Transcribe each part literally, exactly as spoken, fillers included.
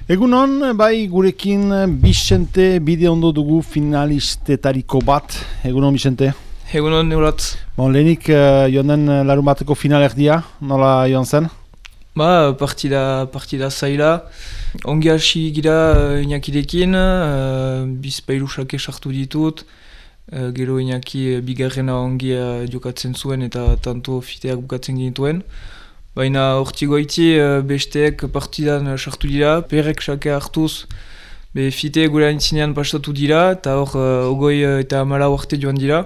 Egunon, bai gurekin Bixente bide ondo dugu finalistetariko bat. Egunon, Bixente. Egunon, neuratz. Bon, lehenik uh, joan den larun bateko finalerdia, nola joan zen? Ba, partida, partida zaila. Ongi hasi gira uh, Inakirekin, uh, bizpailu sake sartu ditut. Uh, gero Inaki uh, bigarrena ongi uh, jokatzen zuen eta tanto fiteak bukatzen ginituen. Baina hortigoiti uh, besteek partidan sartu dira, perek sake hartuz, be fite gure antzinean pasatu dira, eta hor uh, ogoi uh, eta amala arte joan dira.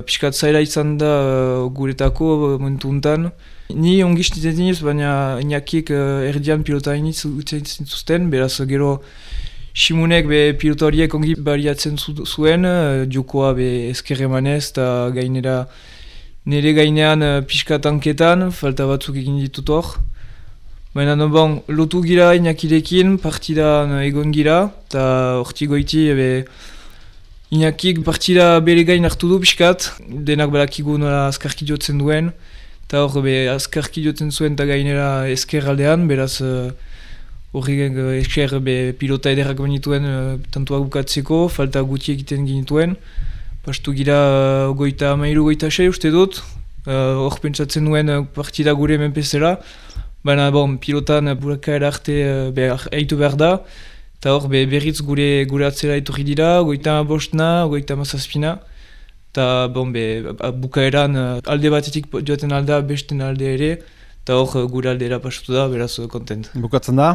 Piskat zaila izan da uh, guretako uh, momentu untan. Ni ongi stitetin iz, baina Inakik uh, erdian pilota iniz utzen zituzten, beraz gero Simunek be pilota horiek ongi bariatzen zu, zuen, uh, jokoa be ezker emanez, eta gainera nire gainean uh, pixka tanketan, falta batzuk egin ditut hor. Baina no, bon, lotu gira Inakirekin, partidan uh, egon gira, eta hortigoiti be Inakik partida bere gain hartu du pixkat, denak balakigu nola azkarki jotzen duen, eta hor be azkarki jotzen zuen eta gainera esker aldean, beraz horri uh, esker be pilota ederrak benituen uh, tantuak bukatzeko, falta guti egiten ginituen. Pastu gira uh, goita mairu goita sei uste dut, hor uh, pentsatzen duen uh, partida gure menpezela, baina bon, pilotan uh, burakaera arte uh, be, eitu behar da, eta hor be, berriz gure, gure atzera etorri dira, goita bostna, goita mazazpina, eta bon, be, bukaeran uh, alde batetik joaten alda, besten alde ere, eta hor uh, gure aldera pasatu da, beraz uh, kontent. Bukatzen da?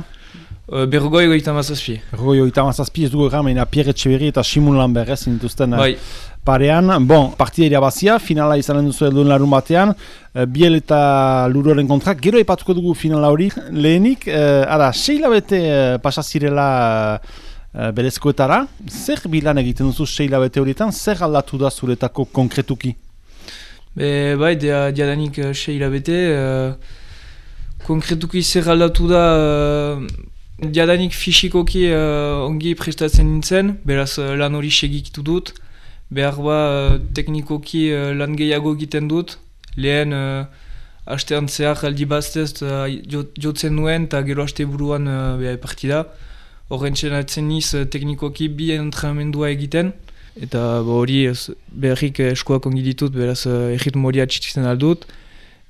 Uh, Berrogoi goita mazazpi. Berrogoi goita mazazpi, ez dugu egan, Pierre Etxeberri eta Simun Lambert ez zintuzten bai. Parean. Bon, partida irabazia, finala izanen duzu elduen larun batean, uh, Biel eta Luroren kontra, gero epatuko dugu finala hori. Lehenik, uh, ara, seila bete uh, pasazirela uh, berezkoetara, zer bilan egiten duzu seila bete horietan, zer aldatu da zuretako konkretuki? Be, bai, dia, diadanik uh, seila bete, uh, konkretuki zer aldatu da, uh, diadanik fisikoki uh, ongi prestatzen nintzen, beraz uh, lan hori segikitu dut, behar ba uh, teknikoki uh, lan gehiago egiten dut, lehen uh, astean zehar aldi baztez uh, jotzen nuen eta gero aste buruan uh, partida. Horren txenatzen niz uh, teknikoki bi entrenamendua egiten, eta hori uh, beharrik uh, eskoak ongi ditut, beraz uh, erritmo hori atxitzen aldut.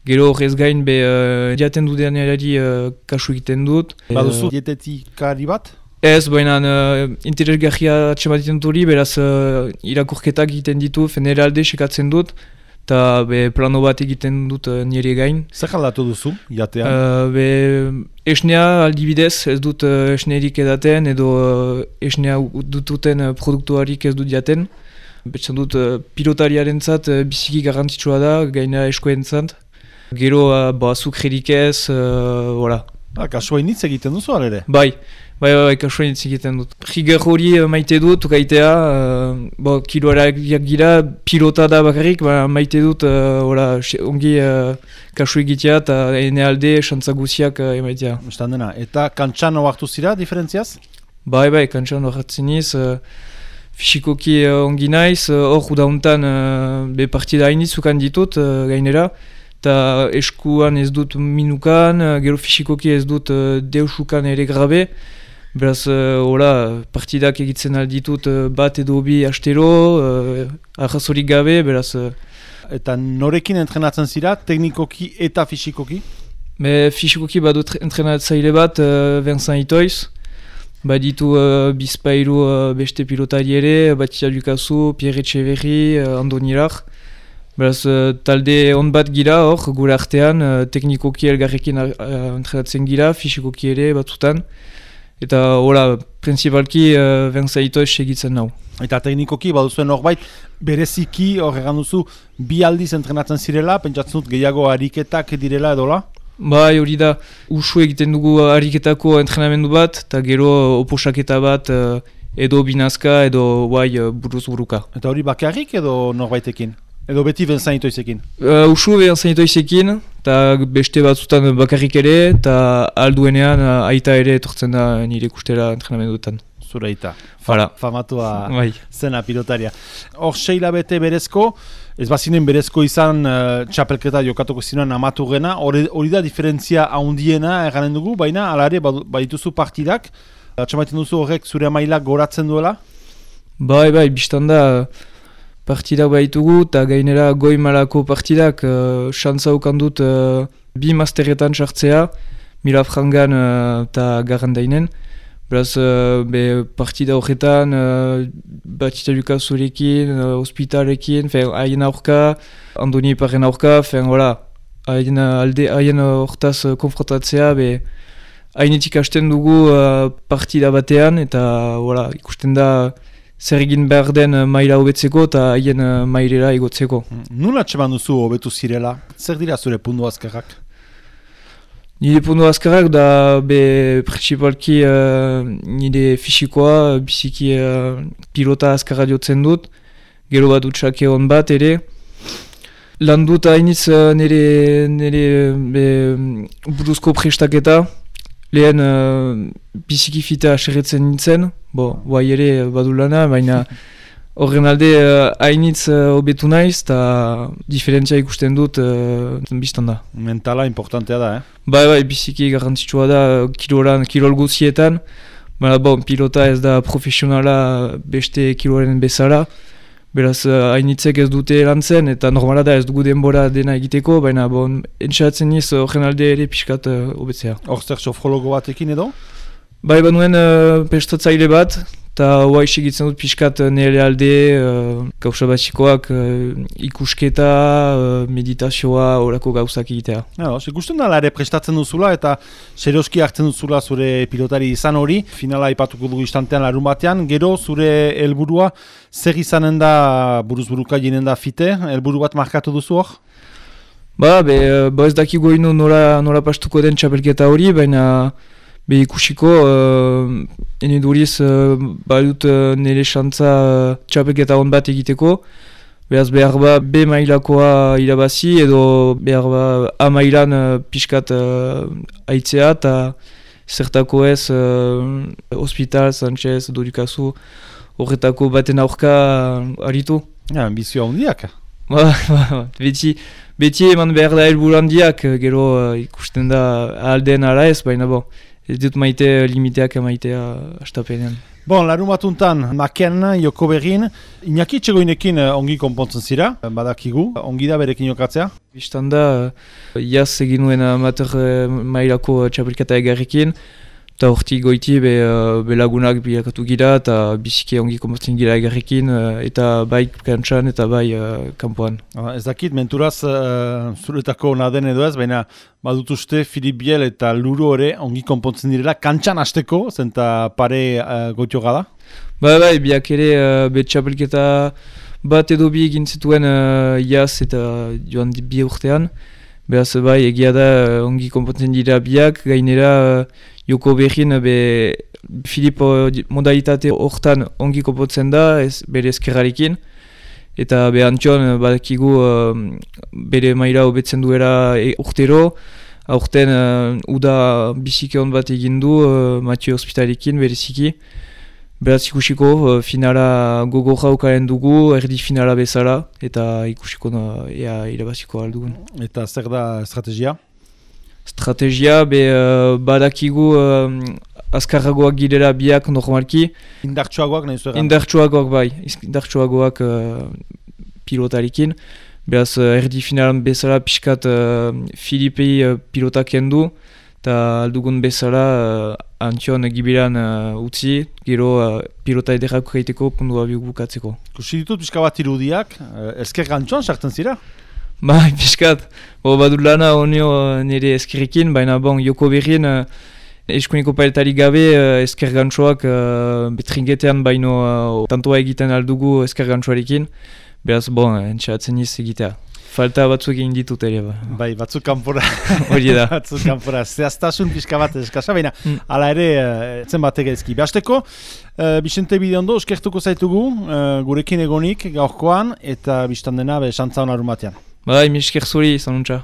Gero horrez gain be uh, diaten dudeanari uh, kasu egiten dut. Baduzu dietetikari bat? Ez, baina uh, interesgarria atxematen dut hori, beraz uh, irakurketak egiten ditu, nire alde sekatzen dut, eta plano bat egiten dut uh, nire gain. Zer aldatu duzu, jatean? Uh, be, esnea aldibidez ez dut uh, esnerik edaten, edo uh, esnea dututen uh, produktuarik ez dut jaten. Betxan dut uh, pilotariaren zat uh, biziki garrantzitsua da, gaina eskoen zat. Gero, uh, ba, azukrerik ez, uh, voilà. Ah, kasua initz egiten duzu alere? Bai, bai, bai, kasua initz egiten dut. Riger hori uh, maite dut, gaitea, uh, ba, kiloarak gira, pilota da bakarrik, ba, maite dut, uh, voilà, ongi uh, kasu egitea eta ene alde, xantza guziak uh, emaitea. Estan dena, eta kantxan oartu zira, diferentziaz? Bai, bai, kantxan oartzen niz, uh, fisikoki uh, ongi naiz, hor uh, udauntan uh, be partida hainitz zukan ditut, uh, gainera, eta eskuan ez dut minukan, gero fisikoki ez dut uh, deusukan ere grabe. Beraz, uh, hola, partidak egitzen alditut uh, bat edo bi astero, uh, arrazorik gabe, beraz... Uh, eta norekin entrenatzen zira, teknikoki eta fisikoki? Be, fisikoki badut entrenatzaile bat, uh, Vincent Itoiz. Baditu uh, bizpailu uh, beste pilotari ere, Batia Lukasu, Pierre Etxeberri, uh, Andonirak. Beraz, uh, talde on bat gira hor, gure artean, uh, teknikoki elgarrekin uh, entrenatzen gira, fisikoki ere batzutan. Eta, hola, principalki uh, Vincent Itoiz segitzen nau. Eta teknikoki, baduzuen horbait, bereziki hor egan duzu, bi aldiz entrenatzen zirela, pentsatzen dut gehiago ariketak direla edola? Bai, hori da, usu egiten dugu ariketako entrenamendu bat, eta gero oposaketa bat, uh, edo binazka, edo bai, uh, buruz buruka. Eta hori bakarrik edo norbaitekin? Edo beti Vincent Itoizekin? Uh, usu Vincent Itoizekin, eta beste batzutan bakarrik ere, eta alduenean uh, aita ere etortzen da nire ikustera entrenamenduetan. zure ita. Voilà. Famatua Bai. zena pilotaria. Hor, seila bete berezko, ez bazinen berezko izan uh, txapelketa jokatuko zinuan amatu gena, hori, hori da diferentzia haundiena eganen dugu, baina ala ere badituzu partidak, atxamaiten duzu horrek zure mailak goratzen duela? Bai, bai, biztan da partidak baitugu, eta gainera goi malako partidak, uh, xantza ukandut uh, bi masteretan sartzea, Milafrangan eta uh, Garrandainen. Beraz, uh, be partida horretan, uh, Batista Lukasorekin, uh, Hospitalekin, haien aurka, Andoni Iparen aurka, haien alde, haien hortaz uh, konfrontatzea, be hainetik hasten dugu uh, partida batean, eta voilà, ikusten da zer egin behar den uh, maila hobetzeko eta haien uh, mailera igotzeko. Nula txeman duzu hobetu zirela? Zer dira zure pundu azkarrak? Nire pundu azkarrak da be principalki uh, nire fisikoa, biziki uh, pilota azkarra diotzen dut, gero bat utxake hon bat ere. Lan dut hainitz uh, nire, nire be, buruzko prestaketa, lehen uh, biziki fita aserretzen nintzen, bo, guai ere badu lana, baina horren alde hainitz uh, hobetu uh, naiz, eta diferentzia ikusten dut uh, biztan da. Mentala importantea da, eh? Bai, bai, biziki garrantzitsua da kiloran, kilol guzietan, baina bon, pilota ez da profesionala beste kiloren bezala, beraz hainitzek ez dute lantzen, eta normala da ez dugu denbora dena egiteko, baina bon, entxatzen niz horren alde ere pixkat hobetzea. Hor zer sofrologo batekin edo? Bai, banuen uh, prestatzaile bat, eta hoa egitzen dut pixkat nire alde, uh, gauza batxikoak, uh, ikusketa, uh, meditazioa, horako gauzak egitea. Ja, ikusten da ere prestatzen duzula eta serioski hartzen duzula zure pilotari izan hori. Finala ipatuko dugu istantean larun batean, gero zure helburua zer izanen da buruz-buruka jinen da fite, helburu bat markatu duzu hor? Ba, be, ba ez dakigu ino nola, nola pastuko den txapelketa hori, baina be ikusiko, uh, ene duriz, uh, badut uh, nire xantza uh, txapelketa hon bat egiteko. Beraz behar ba B mailakoa irabazi edo behar ba A mailan uh, pixkat uh, aitzea eta zertako ez uh, Hospital, Sanchez, Dorikazu horretako baten aurka uh, aritu. Ja, ambizioa hondiak. Ba, ba, beti, beti eman behar da helburu handiak, gero uh, ikusten da alden ala ez, baina bo. Ez dut maite limiteak maitea astapenean. Bon, larun batuntan, Maken, Joko Berrin, Iñaki Txegoinekin ongi konpontzen zira, badakigu, ongi da berekin jokatzea? Bistan da, iaz egin nuen amateur mailako txapelketa egarrekin, eta horti goiti be, be lagunak bilakatu gira, eta biziki ongi konpontzen gira egarrekin, eta bai kantxan eta bai uh, kanpoan. Ez dakit, menturaz uh, zuretako naden edo ez, baina badut uste Filip Biel eta Luro ere ongi konpontzen direla, kantxan hasteko, zenta pare uh, goitio gada? Bai, bai, biak ere uh, be txapelketa bat edo bi egin zituen uh, iaz eta joan bi urtean. Beraz, bai, egia da ongi konpontzen dira biak, gainera uh, Joko Berrin be Filip modalitate hortan ongi konpontzen da, ez, bere eskerrarekin. Eta be Antion badakigu uh, bere maila hobetzen duela e, urtero. Aurten uh, uda biziki hon bat egin du uh, Mathieu Hospitalekin bereziki. Beraz ikusiko uh, finala gogo jaukaren dugu, erdi finala bezala, eta ikusiko uh, ea irabaziko aldugun. Eta zer da estrategia? Estrategia, be uh, badakigu uh, azkarragoak girela biak normalki. Indartsuagoak nahi zueran? Indartsuagoak bai, indartsuagoak uh, pilotarekin. Beraz uh, erdi finalan bezala pixkat uh, Filipei uh, pilotak endu, eta aldugun bezala uh, Antion gibilan uh, utzi, gero uh, pilota ederrak egiteko pundua bukatzeko. Kusi ditut pixka bat irudiak, uh, ezker gantxoan sartzen zira? Bai, pixkat, bo badut lana honio uh, nire eskerrekin, baina bon, Joko Berrin uh, eskuniko pailetarik gabe uh, esker gantxoak uh, betringetean baino uh, tantoa egiten aldugu esker gantxoarekin, beraz bon, entxatzen niz egitea. Falta batzuk egin ditut ere. Ba. Bai, batzuk kanpora. Hori da. Batzuk kanpora. Zehaztasun pixka bat eskasa, baina mm. ala ere zen batek ezki. Beazteko, uh, Bixente Bideondo, eskertuko zaitugu, uh, gurekin egonik gaurkoan, eta biztan dena, be, xantza hon arun batean. Bai, mi esker zuri, zanuntza.